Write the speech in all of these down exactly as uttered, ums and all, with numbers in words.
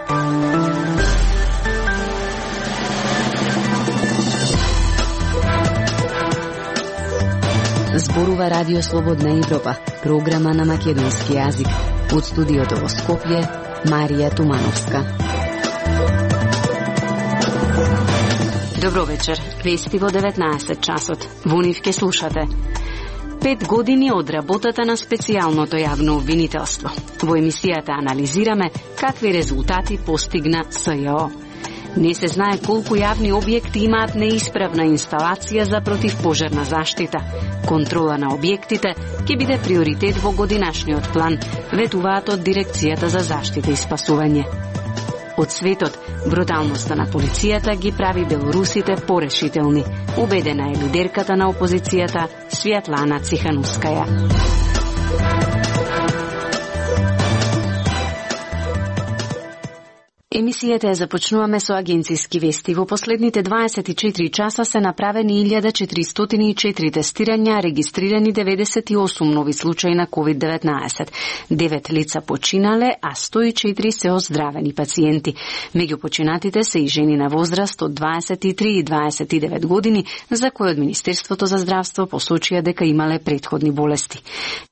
Зборува Радио Слободна Европа, програма на македонски јазик. Од студиото во Скопје, Марија Тумановска. Добро вечер. Вести во деветнаесет часот. Во нив ке слушате. Пет години од работата на специјалното јавно обвинителство. Во емисијата анализираме какви резултати постигна С Ј О. Не се знае колку јавни објекти имаат неисправна инсталација за противпожарна заштита. Контрола на објектите ќе биде приоритет во годинашниот план, ветуваат од Дирекцијата за заштита и спасување. Од светот, бруталноста на полицијата ги прави белорусите порешителни, убедена е лидерката на опозицијата Свјатлана Циханускаја. Емисијата ја започнуваме со агенцијски вести. Во последните дваесет и четири часа се направени илјада четиристотини и четири тестирања, регистрирани деветдесет и осум нови случаи на ковид деветнаесет. Девет лица починале, а сто и четири се оздравени пациенти. Меѓу починатите се и жени на возраст од дваесет и три и дваесет и девет години, за кои од Министерството за здравство посочија дека имале претходни болести.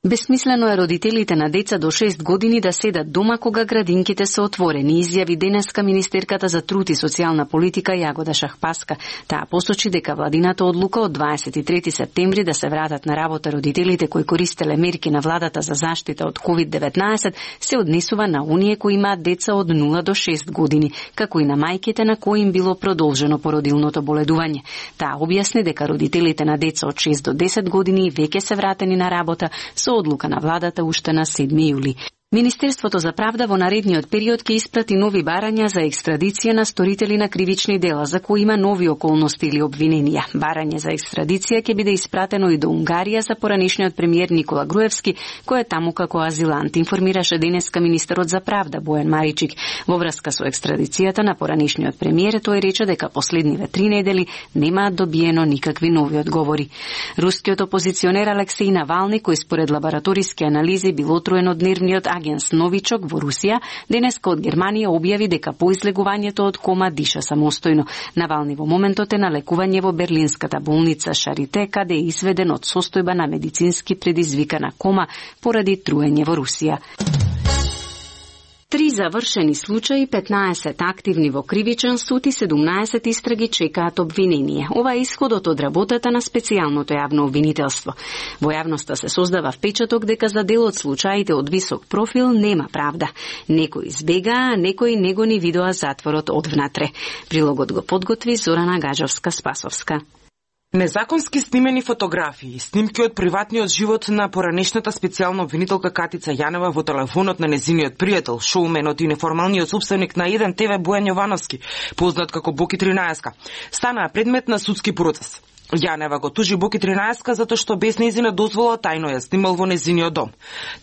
Бесмислено е родителите на деца до шест години да седат дома кога градинките се отворени, изјави денеска министерката за труд и социјална политика Јагода Шахпаска. Таа посочи дека владината одлука од дваесет и трети септември да се вратат на работа родителите кои користеле мерки на владата за заштита од ковид деветнаесет се однесува на оние кои имаат деца од нула до шест години, како и на мајките на кои им било продолжено породилното боледување. Таа објасни дека родителите на деца од шест до десет години веќе се вратени на работа со одлука на владата уште на седми јули. Министерството за правда во наредниот период ќе испрати нови барања за екстрадиција на сторители на кривични дела за кои има нови околности или обвиненија. Барање за екстрадиција ќе биде испратено и до Унгарија за поранешниот премиер Никола Груевски, кој е таму како азилант, информираше денеска министерот за правда Бојан Маричик. Во врска со екстрадицијата на поранешниот премиер, тој рече дека последниве три недели немаат добиено никакви нови одговори. Рускиот опозиционер Алексеј Навални, кој според лабораториски анализи бил отруен од нервниот агенс Новичок во Русија, денеска од Германија објави дека по излегувањето од кома диша самостојно. Навални во моментот е на лекување во берлинската болница Шарите, каде е изведен од состојба на медицински предизвикана кома поради труење во Русија. Три завршени случаи, петнаесет активни во кривичен суд и седумнаесет истраги чекаат обвинение. Ова е исходот од работата на специјалното јавно обвинителство. Во јавноста се создава впечаток дека за дел од случаите од висок профил нема правда. Некои избегаа, а некои не го ни видоа затворот од внатре. Прилогот го подготви Зорана Гажовска-Спасовска. Незаконски снимени фотографии, снимки од приватниот живот на поранешната специјална обвинителка Катица Јанева во телефонот на незиниот пријател, шоуменот и неформалниот собственик на еден те ве Бојан Јовановски, познат како Боки тринаесет, станаа предмет на судски процес. Јанева го тужи Боки тринаесет затоа што без нејзина дозвола тајно ја снимал во незиниот дом.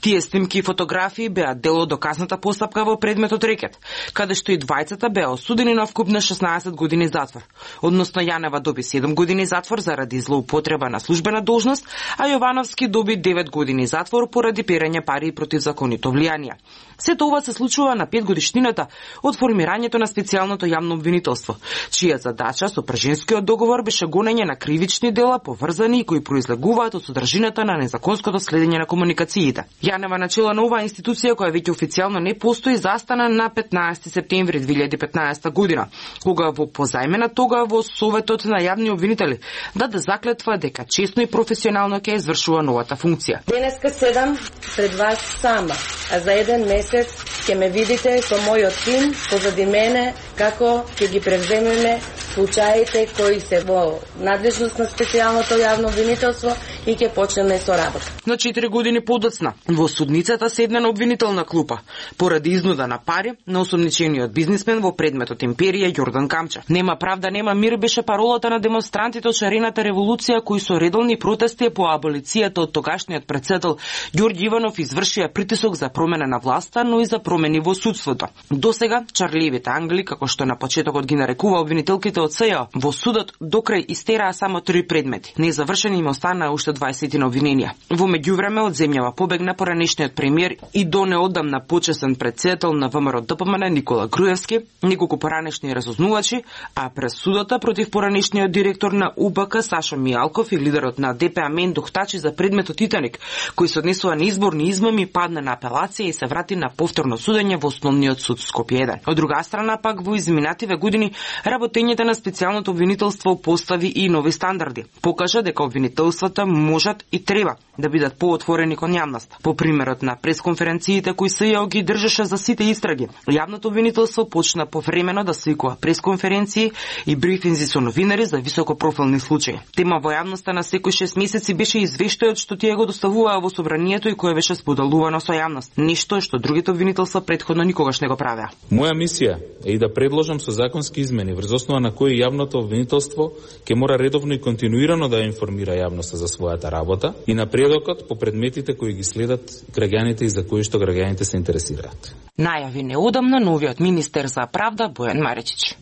Тие снимки и фотографии беа дел од доказната постапка во предметот рекет, каде што и двајцата беа осудени на вкуп на шеснаесет години затвор. Односно Јанева доби седум години затвор заради злоупотреба на службена должност, а Јовановски доби девет години затвор поради перење пари и противзаконито влијанија. Сето ова се случува на пет годишнината од формирањето на специјалното јавно обвинителство, чија задача со прженскиот договор беше гонење на кривични дела поврзани и кои произлегуваат од содржината на незаконското следење на комуникациите. Јанева начела на оваа институција која веќе официјално не постои застана на петнаесети септември две илјади и петнаесета година, кога во позајмена тога во Советот на јавни обвинители даде заклетва дека честно и професионално ќе извршува новата функција. Денеска седам пред вас сама, а за еден месец ќе ме видите со мојот тим позади мене како ќе ги превземеме случаите кои се во надлежност на специјалното јавно обвинителство и ќе почнеме со работа. На четири години подоцна во судницата седна на обвинителна клупа поради изнуда на пари на осомничениот бизнисмен во предметот Империја Јордан Камча. Нема правда, нема мир беше паролата на демонстрантите од шарената револуција кои со редовни протести по аболицијата од тогашниот претседател Ѓорѓи Иванов извршија притисок за промена на власта, но и за промени во судството. Досега чарливите ангели, како што на почетокот ги нарекува обвинителките од С Ј О, во судот докрај истераа само три предмети. Незавршени им останаа уште сто дваесет на обвиненија. Во меѓувреме од земјава побегна поранешниот премиер и до неодамна почесен претседател на ВМРО Д П М Н Никола Груевски, неколку поранешни разузнувачи, а пресудата против поранешниот директор на У Б К Сашо Мијалков и лидерот на Д П А Мен Духтачи за предметот Титаник, кој се однесува на изборни измами, падна на апелација и се врати на повторно судење во Основниот суд Скопје еден. Од друга страна пак во изминативе години работењето на специјалното обвинителство постави и нови стандарди. Покажа дека обвинителствата можат и треба да бидат поотворени кон јавноста. По примерот на пресконференциите кои С Ј О ги држеше за сите истраги, јавното обвинителство почна повремено да свикува пресконференции и брифинзи со новинари за високопрофилни случаи. Тема во јавноста на секој шест месеци беше извештајот што тие го доставуваа во собранието и кое беше споделувано со јавност. Нешто што другите обвинителства претходно никогаш не го правеа. Моја мисија е и да предложам со законски измени врз основа на кои јавното обвинителство ќе мора редовно и континуирано да информира јавноста за својата работа и напредокот по предметите кои ги следат граѓаните и за кои што граѓаните се интересираат. Најави неодамна новиот министер за правда Бојан Маречич.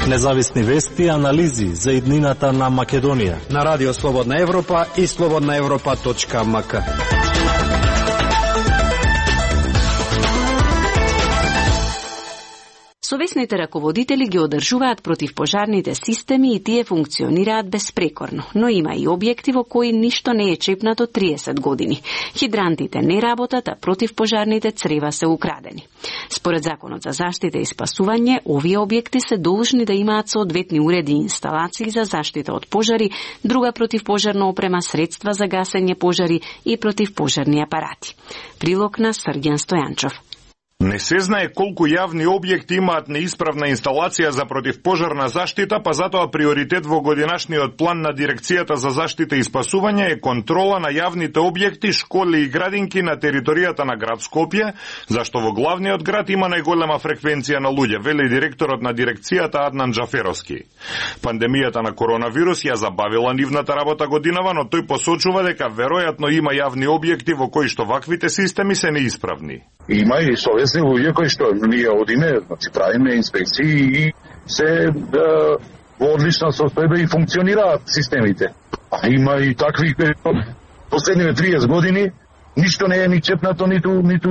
Независни вести и анализи за иднината на Македонија на Радио Слободна Европа и слободна европа точка м к. Совесните раководители ги одржуваат противпожарните системи и тие функционираат безпрекорно, но има и објекти во кои ништо не е чепнато триесет години. Хидрантите не работат, а противпожарните црева се украдени. Според Законот за заштита и спасување, овие објекти се должни да имаат соодветни уреди и инсталации за заштита од пожари, друга противпожарна опрема, средства за гасење пожари и противпожарни апарати. Прилог на Срѓан Стојанчов. Не се знае колку јавни објекти имаат неисправна инсталација за противпожарна заштита, па затоа приоритет во годинашниот план на Дирекцијата за заштита и спасување е контрола на јавните објекти, школи и градинки на територијата на град Скопје, зашто во главниот град има најголема фреквенција на луѓе, вели директорот на дирекцијата Аднан Джаферовски. Пандемијата на коронавирус ја забавила нивната работа годинава, но тој посочува дека веројатно има јавни објекти во кои што ваквите системи се неисправни. Има и совесни луѓе кои што ние одиме, значи правиме инспекции и се да, во одлична состојба и функционираат системите. А има и такви последниве триесет години ништо не е ни чепнато, ниту ниту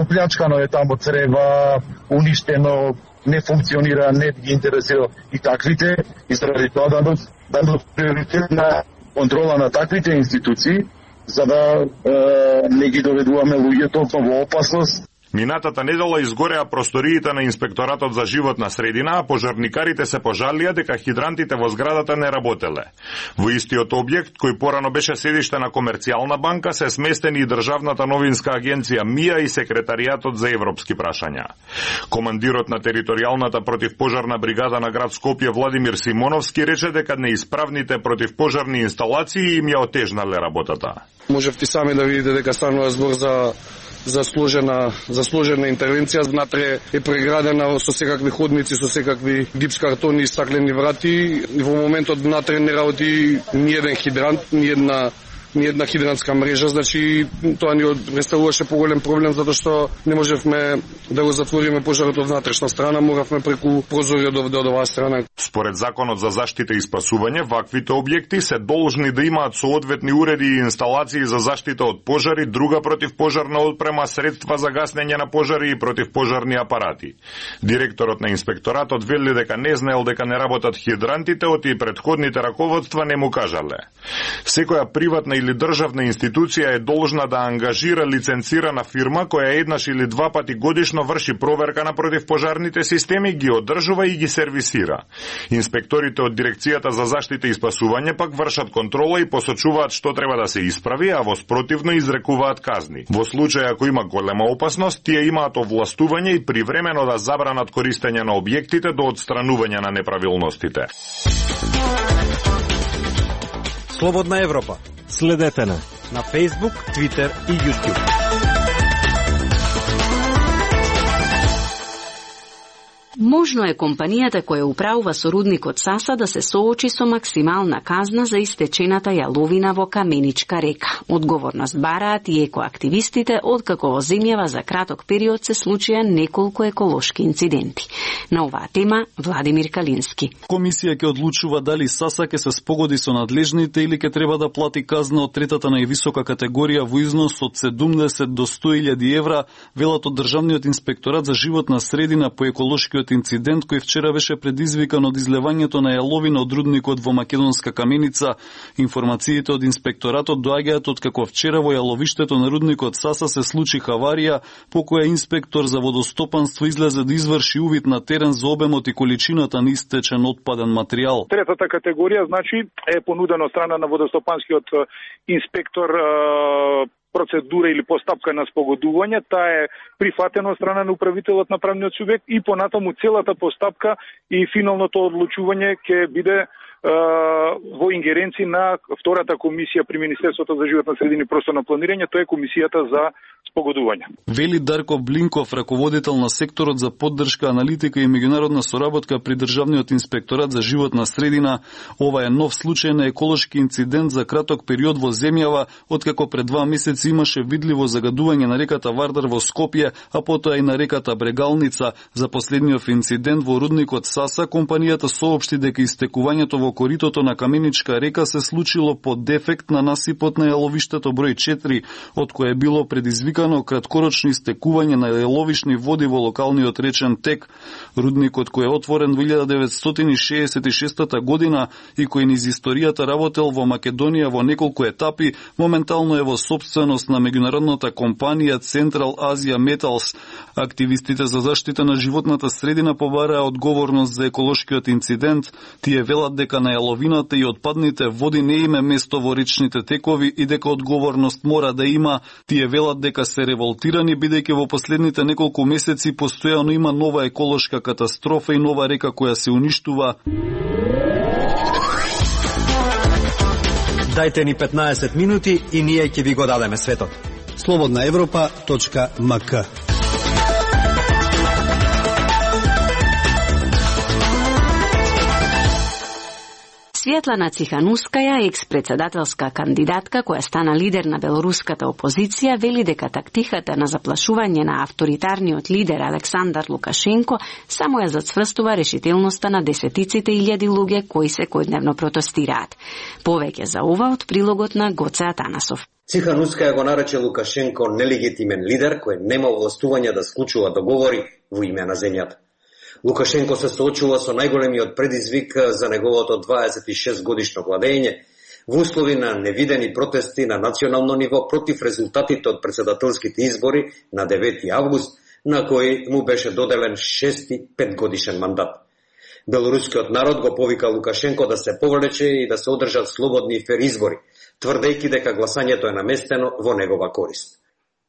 оплячкано е тамо црева, уништено, не функционира, не ги интересира и таквите, и заради тоа да дадат приоритет на контрола на таквите институции, за да е, не ги доведуваме луѓето во опасност. Минатата недела изгореа просториите на Инспекторатот за животна средина, а пожарникарите се пожалија дека хидрантите во зградата не работеле. Во истиот објект, кој порано беше седиште на Комерцијална банка, се сместени и Државната новинска агенција МИА и Секретаријатот за европски прашања. Командирот на територијалната противпожарна бригада на град Скопје Владимир Симоновски рече дека неисправните противпожарни инсталации им ја отежнале работата. Можевте сами да видите дека станува збор за за сложена за сложена интервенција. Внатре е преградена со секакви ходници, со секакви гипс картони и стаклени врати. Во моментот внатре не работи ни еден хидрант, ни една ни една хидрантска мрежа, значи тоа ни представуваше поголем проблем затоа што не можевме да го затвориме пожарот од внатрешна страна, моравме преку прозориот од оваа страна. Според Законот за заштита и спасување, ваквите објекти се должни да имаат соодветни уреди и инсталации за заштита од пожари, друга противпожарна отпрема, средства за гаснење на пожари и противпожарни апарати. Директорот на инспекторатот вели дека не знаел дека не работат хидрантите, оти претходните раководства не му кажале. Секоја приватна или државна институција е должна да ангажира лиценцирана фирма која еднаш или два пати годишно врши проверка на противпожарните системи, ги одржува и ги сервисира. Инспекторите од Дирекцијата за заштита и спасување пак вршат контрола и посочуваат што треба да се исправи, а во спротивно изрекуваат казни. Во случај ако има голема опасност, тие имаат овластување и привремено да забранат користење на објектите до отстранување на неправилностите. Слободна Европа. Следете на на Facebook, Twitter и YouTube. Можно е компанијата која управува со рудникот Саса да се соочи со максимална казна за истечената јаловина во Каменичка река. Одговорност бараат и екоактивистите, откако во земјава за краток период се случија неколку еколошки инциденти. На оваа тема Владимир Калински. Комисија ќе одлучува дали Саса ќе се спогоди со надлежните или ќе треба да плати казна од третата највисока категорија во износ од седумдесет до сто илјади евра, велат од Државниот инспекторат за животна средина по еколошкиот инцидент кој вчера беше предизвикан од излевањето на јаловина од рудникот во Македонска Каменица. Информациите од инспекторатот доаѓаат од како вчера во јаловиштето на рудникот Саса се случи хаварија по која инспектор за водостопанство излезе да изврши увид на терен за обемот и количината на истечен отпаден материјал. Третата категорија значи е понудена од страна на водостопанскиот инспектор процедура или постапка на спогодување, таа е прифатена од страна на управителот на правниот субјект и понатаму целата постапка и финалното одлучување ќе биде во ингеренци на втората комисија при Министерството за животна средина и просторно планирање, тоа е комисијата за спогодување. Вели Дарко Блинков, раководител на секторот за поддршка, аналитика и меѓународна соработка при Државниот инспекторат за животна средина, ова е нов случај на еколошки инцидент за краток период во земјава, откако пред два месеци имаше видливо загадување на реката Вардар во Скопје, а потоа и на реката Брегалница. За последниот инцидент во рудникот Саса, компанијата соопшти дека истекувањето во коритото на Каменичка река се случило по дефект на насипот на јаловиштето број четири, од кое било предизвикано краткорочно истекување на јаловишни води во локалниот речен тек. Рудникот кој е отворен во илјада деветстотини шеесет и шеста година и кој низ историјата работел во Македонија во неколку етапи, моментално е во собственост на меѓународната компанија Central Asia Metals. Активистите за заштита на животната средина побараа одговорност за еколошкиот инцидент. Тие велат дека на јаловината и отпадните води не име место во речните текови и дека одговорност мора да има. Тие велат дека се револтирани бидејќи во последните неколку месеци постојано има нова еколошка катастрофа и нова река која се уништува. Дајте ни петнаесет минути и ние ќе ви го дадеме светот. слободна европа точка ем ка. Светлана Циханускаја, екс-председателска кандидатка која стана лидер на белоруската опозиција, вели дека тактиката на заплашување на авторитарниот лидер Александар Лукашенко само ја зацврстува решителноста на десетиците илјади луѓе кои секојдневно протестираат. Повеќе за ова од прилогот на Гоце Атанасов. Циханускаја го нарече Лукашенко нелегитимен лидер кој нема овластување да склучува договори во име на земјата. Лукашенко се соочува со најголемиот предизвик за неговото дваесет и шест годишно владење во услови на невидени протести на национално ниво против резултатите од претседателските избори на девети август, на кој му беше доделен шести петгодишен мандат. Белорускиот народ го повика Лукашенко да се повлече и да се одржат слободни и фер избори, тврдејќи дека гласањето е наместено во негова корист.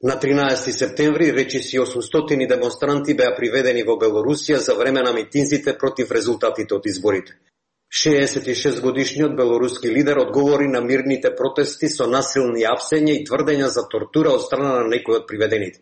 На тринаесети септември речиси осумстотини демонстранти беа приведени во Белорусија за време на митинзите против резултатите од изборите. шеесет и шест годишниот белоруски лидер одговори на мирните протести со насилни апсења и тврдења за тортура од страна на некои од приведените.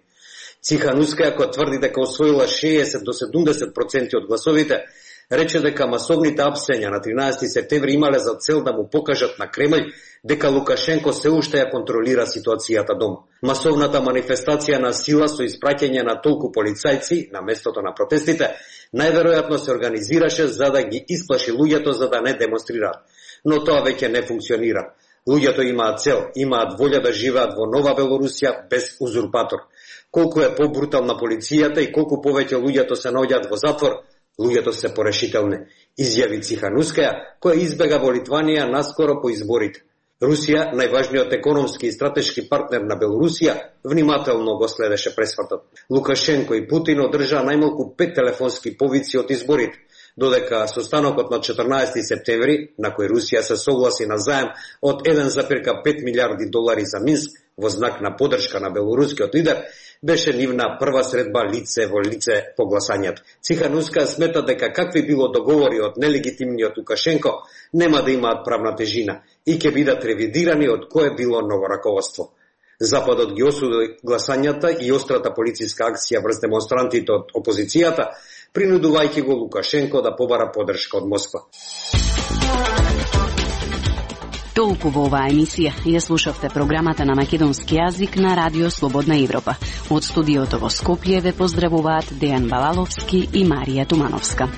Циханускаја, која тврди дека освоила шеесет до седумдесет проценти од гласовите, рече дека масовните апсења на тринаесети септември имале за цел да му покажат на Кремљ дека Лукашенко се уште ја контролира ситуацијата дома. Масовната манифестација на сила со испраќање на толку полицајци на местото на протестите најверојатно се организираше за да ги исплаши луѓето за да не демонстрираат. Но тоа веќе не функционира. Луѓето имаат цел, имаат волја да живеат во нова Белорусија без узурпатор. Колку е побрутална полицијата и колку повеќе луѓето се наоѓаат во затвор, луѓето се порешителни, изјави Циханускаја, која избега во Литванија наскоро по изборите. Русија, најважниот економски и стратешки партнер на Белорусија, внимателно го следеше пресвртот. Лукашенко и Путин одржаа најмалку пет телефонски повици од изборите, додека состанокот на четрнаесети септември, на кој Русија се согласи на заем од еден зарез пет милиарди долари за Минск во знак на поддршка на белорускиот лидер, беше нивна прва средба лице во лице по гласањето. Цихануска смета дека какви било договори од нелегитимниот Лукашенко нема да имаат правна тежина и ќе бидат ревидирани од кое било ново раководство. Западот ги осуди гласањата и острата полициска акција врз демонстрантите од опозицијата, принудувајќи го Лукашенко да побара поддршка од Москва. Толку во оваа емисија. Ја слушавте програмата на македонски јазик на Радио Слободна Европа. Од студиото во Скопје ве поздравуваат Дејан Балаловски и Марија Тумановска.